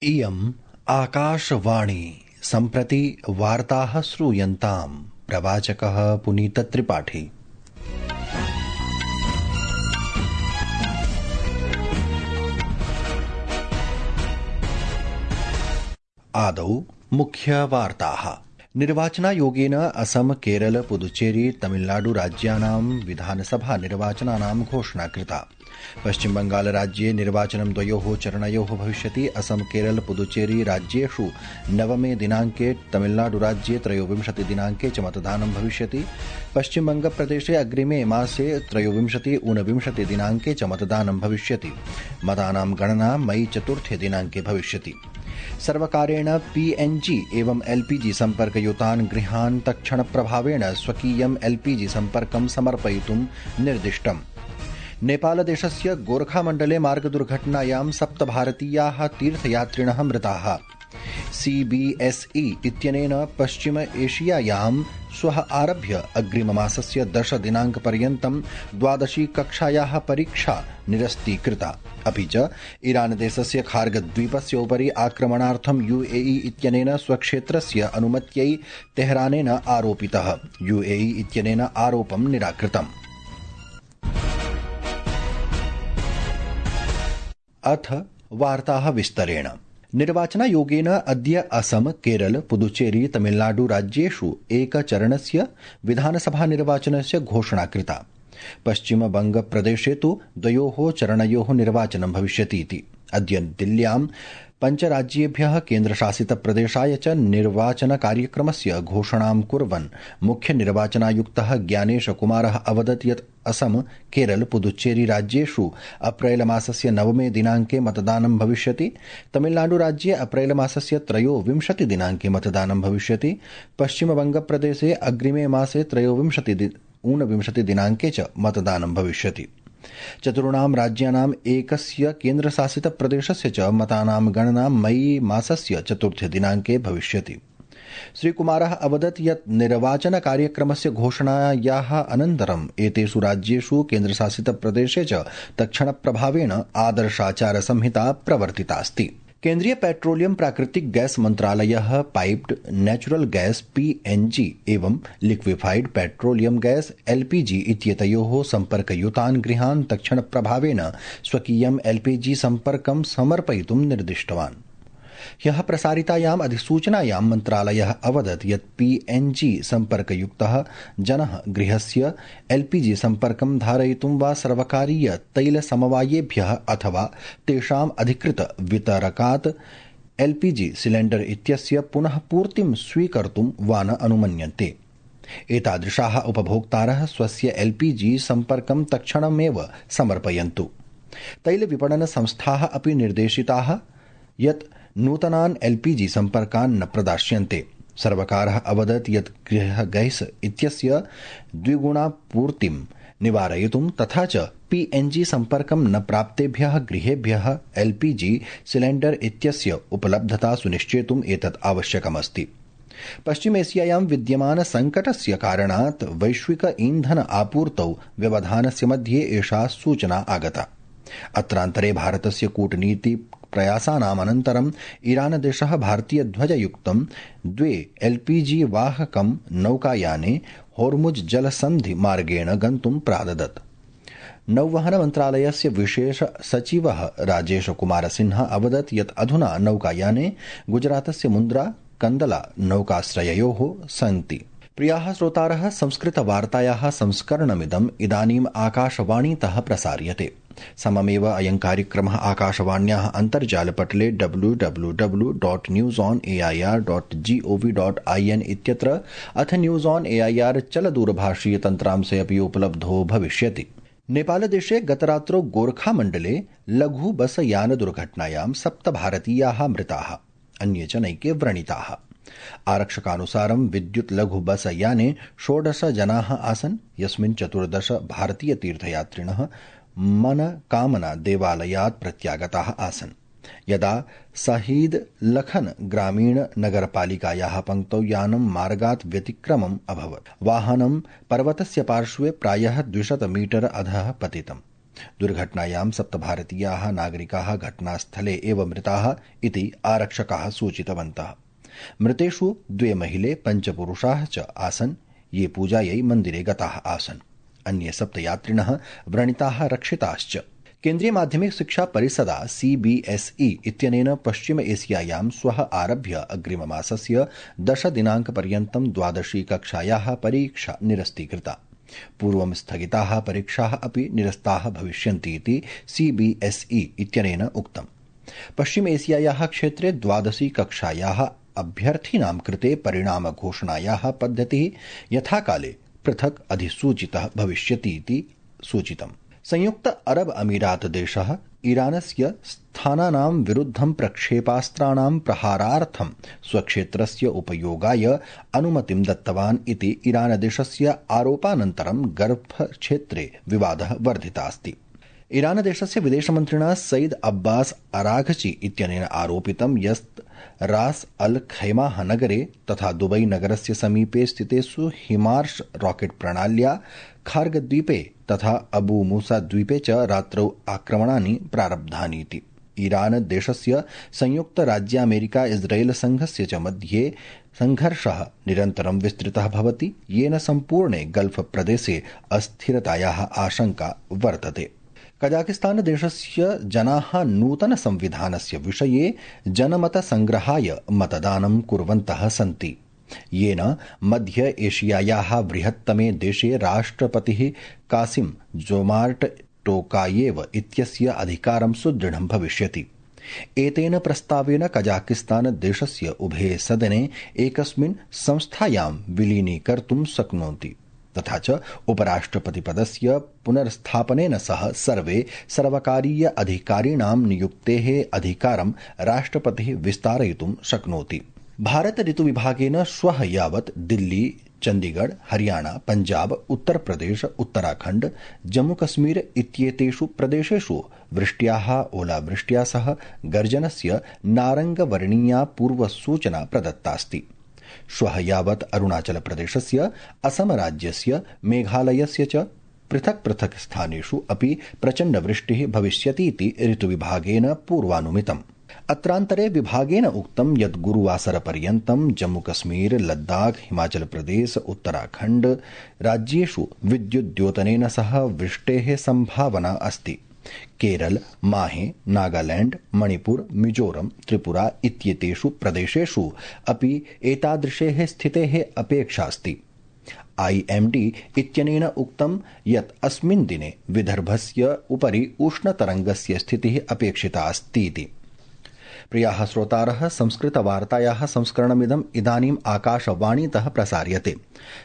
इयम् आकाशवाणी सम्प्रति वार्ताः श्रूयन्ताम्। प्रवाचकः पुनीतत्रिपाठी। आदौ मुख्यवार्ताः। निर्वाचनायोगेन असम, केरल, पुदुचेरी, तमिलनाडु राज्यानां विधानसभा निर्वाचनानां घोषणा कृता। पश्चिम बंगाल राज्ये निर्वाचनं द्वयोः चरणयोः भविष्यति। असम, केरल, पुदुचेरी राज्येषु 9 दिनाङ्के, तमिलनाडु राज्ये 23 दिनाङ्के च मतदानं भविष्यति। पश्चिमबङ्गप्रदेशे अग्रिमे मासे 23-29 दिनाङ्के च मतदानं भविष्यति। मतानां गणना मई 4 दिनाङ्के भविष्यति। सर्वकारेण PNG एवं LPG सम्पर्कयुतान् गृहान् तत्क्षणप्रभावेण स्वकीयं LPG सम्पर्कं समर्पयितुं निर्दिष्टम्। नेपालदेशस्य गोरखामण्डले मार्गदुर्घटनायां 7 भारतीयाः तीर्थयात्रिणः मृताः। CBSE इत्यनेन पश्चिम एशियायां श्वः आरभ्य अग्रिममासस्य 10 दिनाङ्कपर्यन्तं 12शी कक्षायाः परीक्षा निरस्तीकृता। अपि च ईरानदेशस्य खार्गद्वीपस्य उपरि आक्रमणार्थं UAE इत्यनेन स्वक्षेत्रस्य अनुमत्यै तेहरानेन आरोपितः। UAE इत्यनेन आरोपं निराकृतम्। अथ वार्ताः विस्तरेण। निर्वाचनायोगेन अद्य असम, केरल, पुदुचेरी, तमिलनाडु राज्येषु एकचरणस्य विधानसभा निर्वाचनस्य घोषणा कृता। पश्चिमबङ्गप्रदेशे तु 2 चरणयोः निर्वाचनं भविष्यति इति। अद्य दिल्ल्यां 5 राज्येभ्यः केन्द्रशासितप्रदेशाय च निर्वाचनकार्यक्रमस्य घोषणां कुर्वन् मुख्यनिर्वाचनायुक्तः ज्ञानेशकुमारः अवदत् यत् असम, केरल, पुदुचेरी राज्येषु अप्रैलमासस्य 9 दिनाङ्के मतदानं भविष्यति। तमिलनाडुराज्ये अप्रैलमासस्य 23 दिनाङ्के मतदानं भविष्यति। पश्चिमबङ्गप्रदेशे अग्रिमे मासे 23-29 दिनाङ्के च मतदानं भविष्यति। चतुर्णां राज्यानाम् एकस्य केन्द्रशासितप्रदेशस्य च मतानां गणना मई मासस्य 4 दिनाङ्के भविष्यति। श्रीकुमारः अवदत् यत् निर्वाचनकार्यक्रमस्य घोषणायाः अनन्तरम् एतेषु राज्येषु केन्द्रशासितप्रदेशे च तत्क्षणप्रभावेण आदर्शाचारसंहिता प्रवर्तितास्ति। केन्द्रीय पेट्रोलियम प्राकृतिक गैस मन्त्रालयः पाइप्ड नेचुरल गैस PNG एवं लिक्विफाइड पेट्रोलियम गैस LPG इत्येतयोः सम्पर्कयुतान् गृहान् तत्क्षणप्रभावेण स्वकीयं LPG सम्पर्कं समर्पयितुं निर्दिष्टवान्। ह्यः प्रसारितायाम् अधिसूचनायां मन्त्रालयः अवदत् यत् PNG सम्पर्कयुक्तः जनः गृहस्य LPG सम्पर्कं धारयितुं वा सर्वकारीय तैलसमवायेभ्यः अथवा तेषाम् अधिकृत वितरकात् LPG सिलेण्डर इत्यस्य पुनः पूर्तिं स्वीकर्तुं वा न अनुमन्यन्ते। एतादृशाः उपभोक्तारः स्वस्य LPG सम्पर्कं तत्क्षणमेव समर्पयन्तु। तैलविपणनसंस्थाः अपि निर्देशिताः यत् नूतनान् LPG सम्पर्कान् न प्रदास्यन्ते। सर्वकारः अवदत् यत् गृहगैस् इत्यस्य द्विगुणापूर्तिं निवारयितुं तथा च PNG सम्पर्कं न प्राप्तेभ्यः गृहेभ्यः LPG सिलेण्डर इत्यस्य उपलब्धता सुनिश्चेतुम् एतत् आवश्यकमस्ति। पश्चिमेशियायां विद्यमानसङ्कटस्य कारणात् वैश्विक ईन्धन आपूर्तौ व्यवधानस्य मध्ये एषा सूचना आगता। अत्रान्तरे भारतस्य कूटनीति प्रयासानाम् अनन्तरम् ईरानदेशः भारतीयध्वजयुक्तं 2 LPG वाहकं नौकायाने होर्मुज् जलसन्धि मार्गेण गन्तुं प्रारदत्। नौवहनमन्त्रालयस्य विशेष सचिवः राजेशकुमारसिन्हा अवदत् यत् अधुना नौकायाने गुजरातस्य मुन्द्रा, कन्दला नौकाश्रययोः सन्ति। प्रियाः श्रोतारः, संस्कृतवार्तायाः संस्करणमिदम् इदानीम् आकाशवाणीतः प्रसार्यते। सममेव अयं कार्यक्रमः आकाशवाण्याः अन्तर्जालपटले www.newsonair.gov.in इत्यत्र अथ न्यूज़ ऑन AIR चलदूरभाषीयतन्त्रांशे अपि उपलब्धो भविष्यति। नेपालदेशे गतरात्रौ गोरखामण्डले लघु बस यान दुर्घटनायां 7 भारतीयाः मृताः, अन्ये च नैके व्रणिताः। आरक्षकानुसारं विद्युत् लघु बस याने 16 जनाः आसन्, यस्मिन् 14 भारतीयतीर्थयात्रिणः मनकामना देवालयात् प्रत्यागताः आसन्। यदा शहीद लखन ग्रामीण नगरपालिकायाः पङ्क्तौ यानं मार्गात् व्यतिक्रमम् अभवत्। वाहनं पर्वतस्य पार्श्वे प्रायः 200 मीटर अधः पतितम्। दुर्घटनायां 7 भारतीयाः नागरिकाः घटनास्थले एव मृताः इति आरक्षकाः सूचितवन्तः। मृतेषु 2 महिले 5 पुरुषाः च आसन्, ये पूजायै मन्दिरे गताः आसन्। अन्ये 7 यात्रिणः व्रणिताः रक्षिताश्च। केन्द्रीय माध्यमिक शिक्षा परिषदा CBSE इत्यनेन पश्चिम एशियायां श्वः आरभ्य अग्रिममासस्य 10 दिनाङ्कपर्यन्तं 12शी कक्षायाः परीक्षा निरस्तीकृता। पूर्वं स्थगिताः परीक्षाः अपि निरस्ताः भविष्यन्ति इति CBSE इत्यनेन उक्तम्। पश्चिम एशियायाः क्षेत्रे 12शी कक्षायाः अभ्यर्थिनां कृते परिणामघोषणायाः पद्धतिः यथाकाले पृथक् अधिसूचितः भविष्यति इति सूचितम्। संयुक्त अरब अमीरात देशः ईरानस्य स्थानानां विरुद्धं प्रक्षेपास्त्राणां प्रहारार्थं स्वक्षेत्रस्य उपयोगाय अनुमतिं दत्तवान् इति ईरानदेशस्य आरोपानन्तरं गल्फक्षेत्रे विवादः वर्धितास्ति। ईरानदेशस्य विदेशमन्त्रिणा सईद अब्बास अराघची इत्यनेन आरोपितं यत् रास अल खैमाह नगरे तथा दुबई नगरस्य समीपे स्थितेषु हिमार्श रॉकेट प्रणाल्या खार्गद्वीपे तथा अबू मूसा द्वीपे च रात्रौ आक्रमणानि प्रारब्धानि इति। ईरान देशस्य संयुक्त राज्यामेरिका इस्राएल संघस्य च मध्ये संघर्षः निरन्तरं विस्तृतः भवति, येन सम्पूर्णे गल्फ प्रदेशे अस्थिरतायाः आशंका वर्तते। कजाकिस्तान देशस्य जनाः नूतन संविधानस्य विषये जनमतसंग्रहाय मतदानं कुर्वन्तः सन्ति, येन मध्य एशियायाः बृहत्तमे देशे राष्ट्रपतिः कासिम जोमार्ट टोकायेव इत्यस्य अधिकारं सुदृढं भविष्यति। एतेन प्रस्तावेन कजाकिस्तान देशस्य उभे सदने एकस्मिन् संस्थायां विलीनीकर्तुं शक्नोति, तथा च उपराष्ट्रपतिपदस्य पुनर्स्थापनेन सह सर्वे सर्वकारीय अधिकारिणां नियुक्तेः अधिकारं राष्ट्रपतिः विस्तारयितुं शक्नोति। भारत ऋतुविभागेन श्वः यावत् दिल्ली, चण्डीगढ़, हरियाणा, पञ्जाब, उत्तरप्रदेश, उत्तराखण्ड, जम्मूकश्मीर इत्येतेषु प्रदेशेषु वृष्ट्याः, ओलावृष्ट्या सह गर्जनस्य नारङ्गवर्णीया पूर्वसूचना प्रदत्तास्ति। श्वः यावत् अरुणाचलप्रदेशस्य, असमराज्यस्य, मेघालयस्य च पृथक् पृथक् स्थानेषु अपि प्रचण्डवृष्टिः भविष्यतीति ऋतुविभागेन पूर्वानुमितम्। अत्रान्तरे विभागेन उक्तं यत् गुरुवासरपर्यन्तं जम्मूकश्मीर, लद्दाख, हिमाचलप्रदेश, उत्तराखण्ड राज्येषु विद्युद्योतनेन सह वृष्टेः सम्भावना अस्ति। केरल, माहे, नागालैंड, मणिपुर, मिजोरम, त्रिपुरा इत्येतेषु प्रदेशेषु अपि एतादृशेः स्थितेः अपेक्षा अस्ति। IMD इत्यनेन उक्तं यत् अस्मिन् दिने विदर्भस्य उपरि उष्णतरङ्गस्य स्थितिः अपेक्षिता अस्ति इति। प्रियाः श्रोतारः, संस्कृतवार्तायाः संस्करणमिदम् इदानीम् आकाशवाणीतः प्रसार्यते।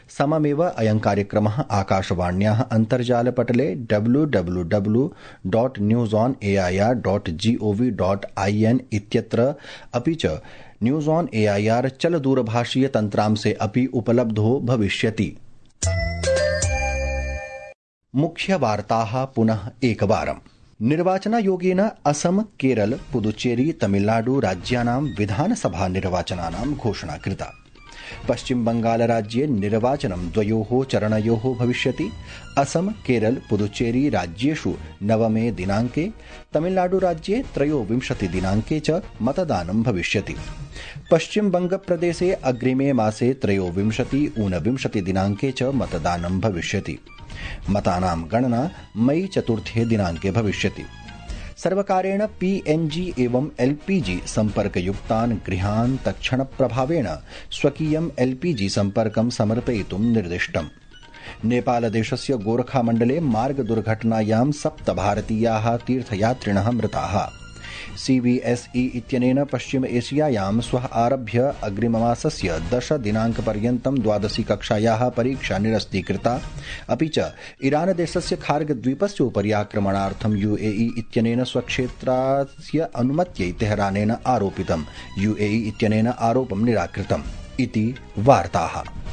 सममेव अयं कार्यक्रमः आकाशवाण्याः अन्तर्जालपटले www.newsonair.gov.in इत्यत्र अपि च न्यूज़ ऑन AIR चलदूरभाषीय तन्त्रांशे अपि उपलब्धो भविष्यति। मुख्यवार्ताः पुनः एकवारम्। निर्वाचनायोगेन असम, केरल, पुदुचेरी, तमिलनाडु राज्यानां विधानसभा निर्वाचनानां घोषणा कृता। पश्चिम बंगाल राज्ये निर्वाचनं 2 चरणयोः भविष्यति। असम, केरल, पुदुचेरी राज्येषु 9 दिनाङ्के, तमिलनाडु राज्ये 23 दिनाङ्के च मतदानं भविष्यति। पश्चिम बंगप्रदेशे अग्रिमे मासे 23, 29 दिनाङ्के च मतदानं भविष्यति। मतानां गणना मई 4 दिनाङ्के भविष्यति। सर्वकारेण PNG एवं LPG सम्पर्कयुक्तान् गृहान् तत्क्षणप्रभावेण स्वकीयं LPG सम्पर्कं समर्पयितुं निर्दिष्टम्। नेपालदेशस्य गोरखामण्डले मार्गदुर्घटनायां 7 भारतीयाः तीर्थयात्रिणः मृताः। CBSE इत्यनेन पश्चिम एशियायां श्वः आरभ्य अग्रिममासस्य 10 दिनाङ्कपर्यन्तं 12शी कक्षायाः परीक्षा निरस्तीकृता। अपि च ईरानदेशस्य खार्गद्वीपस्य उपरि आक्रमणार्थं UAE इत्यनेन स्वक्षेत्रस्य अनुमत्यै तेहरानेन आरोपितम्। UAE इत्यनेन आरोपं निराकृतम् इति वार्ताः।